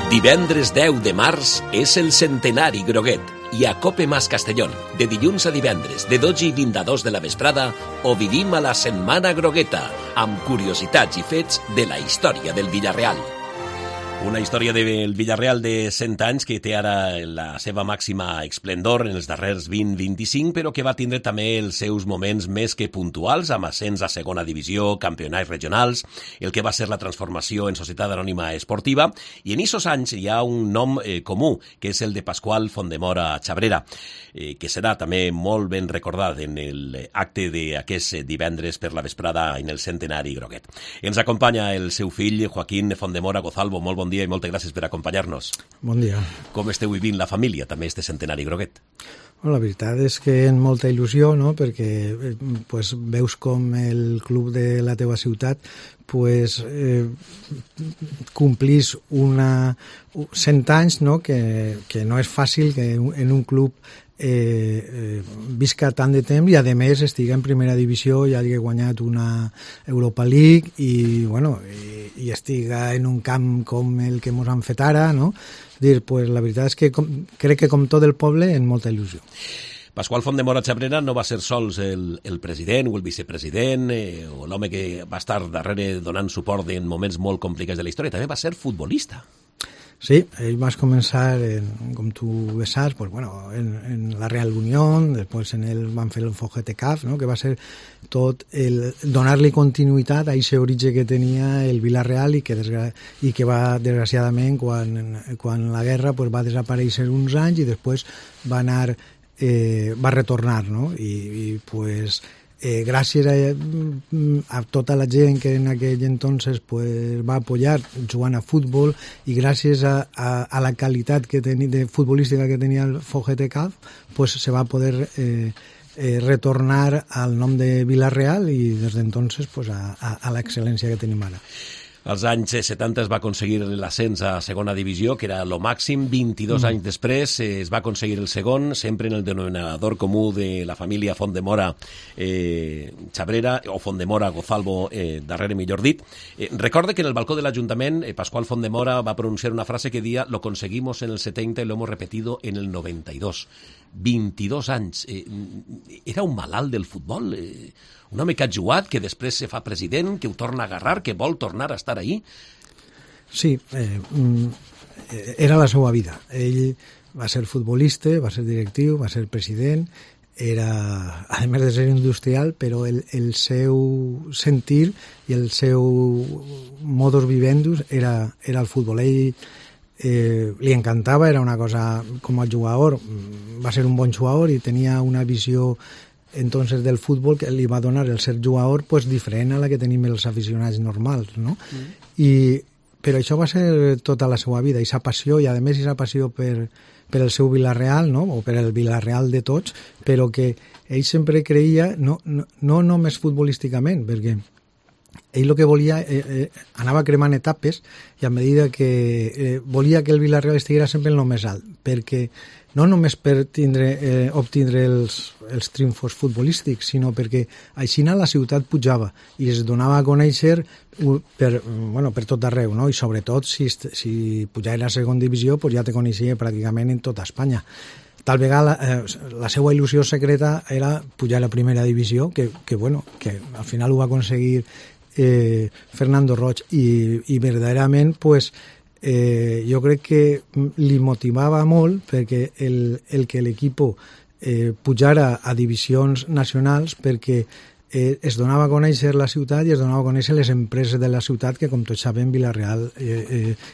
Divendres 10 de març és el centenari Groguet i a Cope Mas Castellón, de dilluns a divendres, de 12 i 22 de la vesprada, ho vivim a la Setmana Grogueta, amb curiositats i fets de la història del Villarreal. Una història del Villarreal de 100 anys que té ara la seva màxima esplendor en els darrers 20-25, però que va tindre també els seus moments més que puntuals, amb ascens a segona divisió, campionats regionals, el que va ser la transformació en Societat Anònima Esportiva, i en aquests anys hi ha un nom comú, que és el de Pasqual Fontdemora Chabrera, que serà també molt ben recordat en l'acte d'aquest divendres per la vesprada en el centenari Groguet. Ens acompanya el seu fill, Joaquín Fontdemora Gozalvo. Molt bon dia i moltes gràcies per acompanyar-nos. Bon dia. Com esteu vivint la família, també, este centenari Groguet? La veritat és que amb molta il·lusió, no? Perquè pues, veus com el club de la teva ciutat pues, complís 100 anys, no? Que no és fàcil que en un club visca tant de temps i a més estiga en primera divisió i hagi guanyat una Europa League i estiga en un camp com el que ens han fet ara, no? Pues la veritat és que crec que com tot el poble en molta il·lusió. Pasqual Fontdemora Chabrera no va ser sols el president o el vicepresident o l'home que va estar darrere donant suport en moments molt complicats de la història, també va ser futbolista. Sí, ell va començar, com tu bé saps, pues, bueno, en la Real Unión, després van fer el FGTCAF, no? Que va ser tot donar-li continuïtat a aquest origen que tenia el Villarreal i que va, desgraciadament, quan la guerra pues, va desaparèixer uns anys i després va retornar, no? I pues, gràcies a tota la gent que en aquell entonces pues, va apoyar jugant a futbol i gràcies a la qualitat de futbolística que tenia el FGTCAF pues, se va poder retornar al nom de Villarreal i des d'entonces pues, a l'excel·lència que tenim ara. Als anys 70 es va aconseguir l'ascens a segona divisió, que era lo màxim. 22 anys després es va aconseguir el segon, sempre en el denominador comú de la família Fontdemora Chabrera, o Fontdemora Gozalvo, darrere millor dit. Recorde que en el balcó de l'Ajuntament Pasqual Fontdemora va pronunciar una frase que deia «Lo conseguimos en el 70 y lo hemos repetido en el 92». 22 anys. Era un malalt del futbol, un home que ha jugat, que després se fa president, que ho torna a agarrar, que vol tornar a estar ahí. Sí, era la seva vida. Ell va ser futbolista, va ser directiu, va ser president, era, a més de ser industrial, però el seu sentir i el seu modus vivendus era el futbol. Ell li encantava, era una cosa com a jugador, va ser un bon jugador i tenia una visió entonces del futbol que li va donar el ser jugador pues, diferent a la que tenim els aficionats normals, no? Però això va ser tota la seva vida, aquesta passió, i a més aquesta passió per el seu Villarreal, no? O per el Villarreal de tots, però que ell sempre creia, no només futbolísticament, perquè ell el que volia, anava cremant etapes i a medida que volia que el Villarreal estigués sempre en el més alt, perquè no només per obtindre els triomfos futbolístics, sinó perquè així la ciutat pujava i es donava a conèixer per tot arreu, no? I sobretot si pujava a la segona divisió pues ja te coneixia pràcticament en tota Espanya. Tal vegada la seva il·lusió secreta era pujar a la primera divisió, que al final ho va aconseguir Fernando Roig i verdaderament pues, jo crec que li motivava molt perquè el que l'equip pujara a divisions nacionals perquè es donava a conèixer la ciutat i es donava a conèixer les empreses de la ciutat que, com tots sabem, Villarreal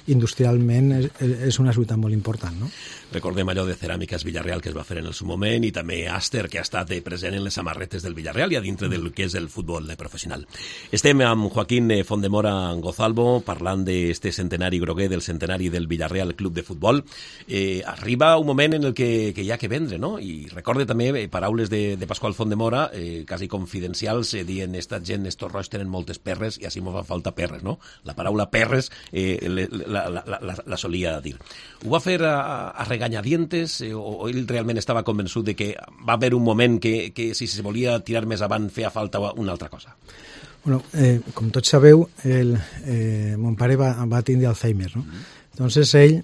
industrialment és una ciutat molt important, no? Recordem allò de Ceràmiques Villarreal que es va fer en el seu moment i també Aster, que ha estat present en les samarretes del Villarreal i a dintre del que és el futbol professional. Estem amb Joaquín Fontdemora Gozalvo parlant d'este centenari groguer, del centenari del Villarreal Club de Futbol. Arriba un moment en el que hi ha que vendre, no? I recorde també paraules de Pasqual Fontdemora, quasi confidencials, dient esta gent, estos roig tenen moltes perres i així mos fa falta perres, no? La paraula perres la solia dir. Ho va fer a regañadientes o ell realment estava convençut de que va haver un moment que si se volia tirar més avant feia falta una altra cosa? Bueno, com tots sabeu, mon pare va tindre Alzheimer, no? Entonces ell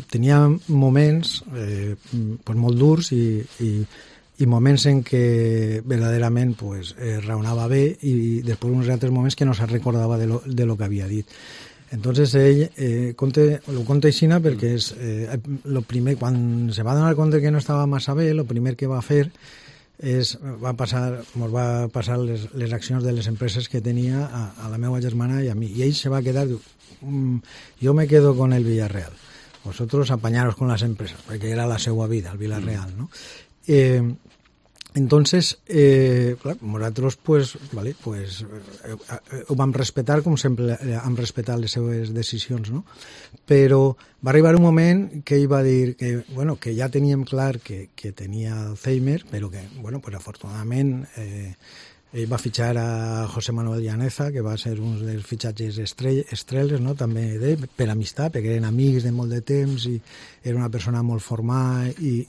tenia moments pues molt durs i moments en què verdaderament pues, raonava bé i després uns altres moments que no se recordava de lo que havia dit. Entonces ell lo conta aixina perquè és lo primer, quan se va donar compte que no estava massa bé, lo primer que va fer mos va passar les accions de les empreses que tenia a la meva germana i a mi, i ell se va quedar, diu, yo me quedo con el Villarreal, vosotros apañaros con las empresas, perquè era la seva vida, el Villarreal, no? Entonces, nosaltres pues, vale, pues, ho vam respetar com sempre hem respetat les seves decisions, no? Però va arribar un moment que ell va dir que, bueno, que ja teníem clar que tenia Alzheimer, però que, bueno, pues afortunadament ell va fitxar a José Manuel Llaneza, que va ser un dels fitxatges estrelles, no? També d'ell, per amistat, perquè eren amics de molt de temps i era una persona molt formada i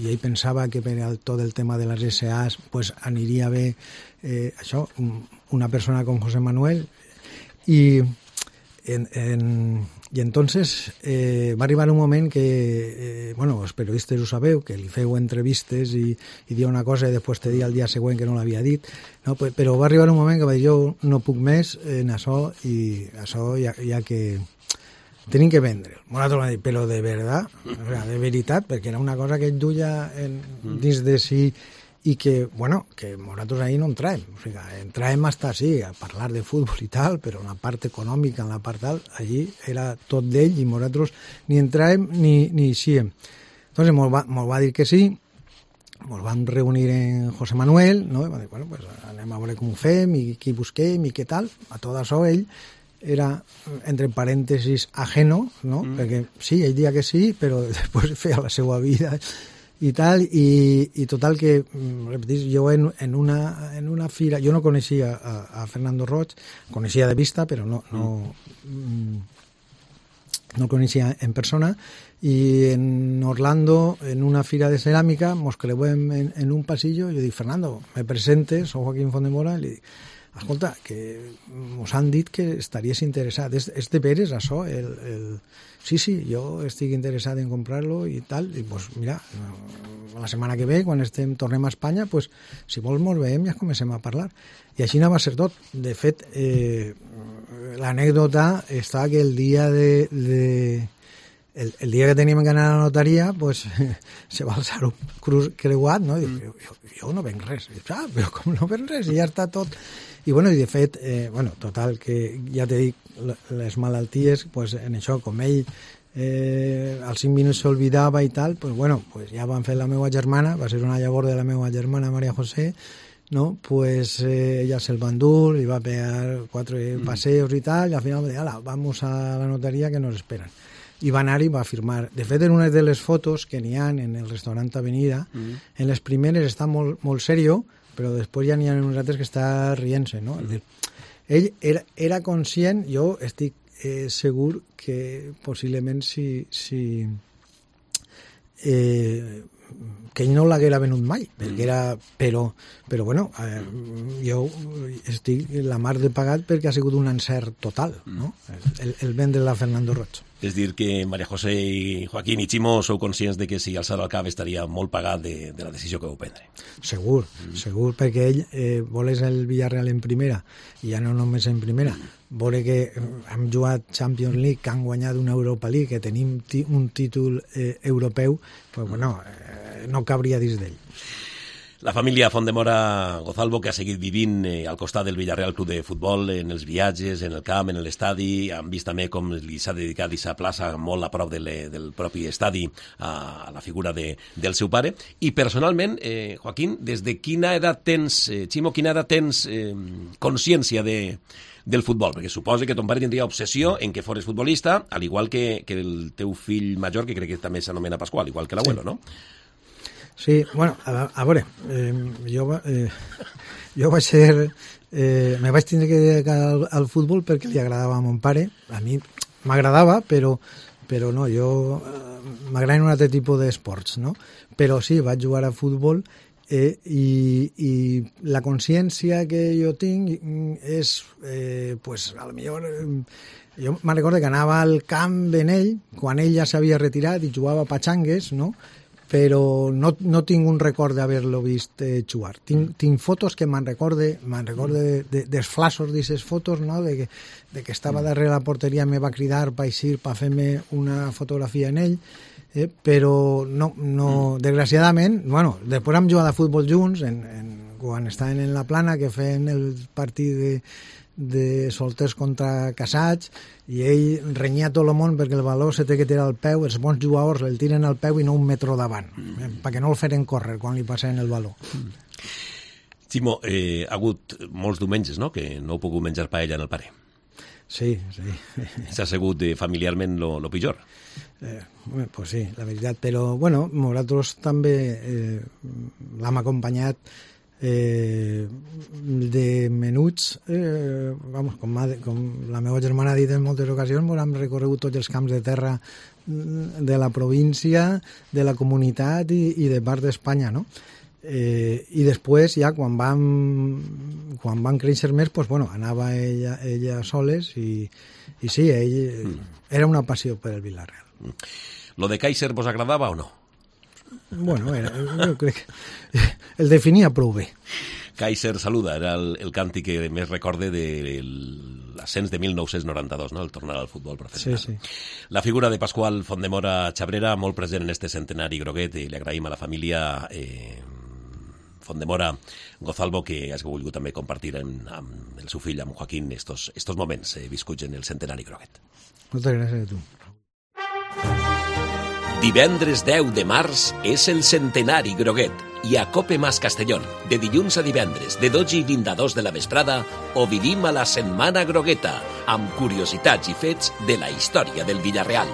ell pensava que per tot el tema de les SAs pues, aniria bé això, una persona com José Manuel i entonces va arribar un moment que, bueno, els periodistes ho sabeu, que li feu entrevistes i dia una cosa i després te dia el dia següent que no l'havia dit, no? Però va arribar un moment que va dir jo no puc més en això i això ja que tenim que vendre. Nosaltres vam dir, però de veritat, de veritat, perquè era una cosa que ell duia dins de si i que, bueno, que nosaltres ahí no entràvem. O sigui, entràvem hasta sí, a parlar de futbol i tal, però en la part econòmica, en la part tal, allí era tot d'ell i nosaltres ni entràvem ni eixíem. Entonces mos va dir que sí, mos vam reunir en José Manuel, no? I va dir, bueno, pues anem a veure com ho fem i qui busquem i què tal. A tot això ell era, entre parèntesis, ajeno, no? Perquè sí, ell dia que sí, però després feia la seva vida i tal, i total que, repetís, jo en una fira, jo no coneixia a Fernando Roig, coneixia de vista, però no el coneixia en persona, i en Orlando, en una fira de ceràmica, mos creuem en un pasillo, i jo dic, Fernando, me presentes, soc Joaquín Fondemora, i li dic, escolta, que mos han dit que estaries interessat, és de veres això, sí, jo estic interessat en comprar-lo i tal, i pues mira, la setmana que ve, quan tornem a Espanya, pues si vols mos veiem i ja comencem a parlar. I així no va ser tot. De fet, l'anècdota està que el dia el dia que teníem que anar a la notaria, pues, se va alçar un creuat, no? I dic, jo no venc res. I dic, però com no venc res? I ja està tot. I, bueno, i de fet, total, que ja te dic, les malalties, pues, en això, com ell als 5 minuts s'olvidava i tal, pues, bueno, pues, ja van fer la meva germana, va ser una llavor de la meva germana, María José, no? Pues ella se'l va endur, li va pegar 4 paseos i tal, i al final va dir, ala, vamos a la notaria que nos esperan. I va anar i va firmar. De fet, en una de les fotos que n'hi ha en el restaurant Avenida, en les primeres està molt, molt serio, però després ja n'hi ha uns altres que està rient-se, no? Ell era conscient, jo estic segur que possiblement que ell no l'haguera venut mai, perquè era, però bueno, jo estic la mar de pagat perquè ha sigut un encert total, no? El vendre-la a Fernando Roig. És dir, que María José i Joaquín i Ximo sou conscients de que si alçar al cap estaria molt pagat de la decisió que vau prendre. Segur, perquè ell volés el Villarreal en primera, i ja no només en primera, veure que hem jugat Champions League, que han guanyat una Europa League, que tenim un títol europeu, pues bueno, no cabria dins d'ell. La família Fondemora Gozalvo, que ha seguit vivint al costat del Villarreal Club de Futbol, en els viatges, en el camp, en l'estadi, han vist també com li s'ha dedicat aquesta plaça molt a prop del propi estadi a la figura del seu pare. I personalment, Joaquín, des de quina edat tens, Ximo, quina edat tens consciència del futbol? Perquè suposa que ton pare tindria obsessió en que fores futbolista, al igual que el teu fill major, que crec que també s'anomena Pasqual, igual que l'abuelo, no? Sí, bueno, a veure, jo vaig ser... me vaig tindre que dedicar al futbol perquè li agradava a mon pare. A mi m'agradava, però no, jo m'agraden un altre tipus d'esports, no? Però sí, vaig jugar a futbol I la consciència que jo tinc és, pues, a lo millor... Jo me'n recordo que anava al camp en ell, quan ell ja s'havia retirat i jugava a patxangues, no? Però no tinc un record d'haver-lo vist jugar. Tinc fotos que me'n recorde dels flassos d'aquestes fotos, no? de que estava darrere la porteria, me va cridar per eixir, per fer-me una fotografia en ell, però no, desgraciadament, bueno, després hem jugat a futbol junts, quan estaven en la plana, que feien el partit de solters contra casats, i ell renyia tot el món perquè el valor se té que tirar al peu, els bons jugadors el tiren al peu i no un metro davant, perquè no el feren córrer quan li passaven el valor. Ximo, ha hagut molts diumenges, no?, que no heu pogut menjar paella en el pare. Sí. S'ha sigut familiarment lo pitjor. Pues sí, la veritat, però bueno, nosaltres també l'hem acompanyat de menuts, com la meva germana ha dit en moltes ocasions, hem recorregut tots els camps de terra de la província, de la comunitat i de part d'Espanya, no? I després ja quan van créixer més, pues, bueno, anava ella soles i sí, ell era una passió per el Villarreal. Lo de Kaiser vos agradava o no? Bueno, jo crec que el definia prou bé. Kaiser saluda, era el càntic que més recorde de l'ascens de 1992, no?, el tornar al futbol professional. Sí. La figura de Pasqual Fontdemora Chabrera, molt present en este centenari groguet, i li agraïm a la família Fontdemora Gozalvo que has volgut també compartir amb el seu fill, amb Joaquín, estos moments viscuts en el centenari groguet. Moltes gràcies a tu. Divendres 10 de març és el centenari groguet i a Cope Mas Castellón, de dilluns a divendres, de 12 i 22 de la vesprada, ho vivim a la Setmana Grogueta, amb curiositats i fets de la història del Villarreal.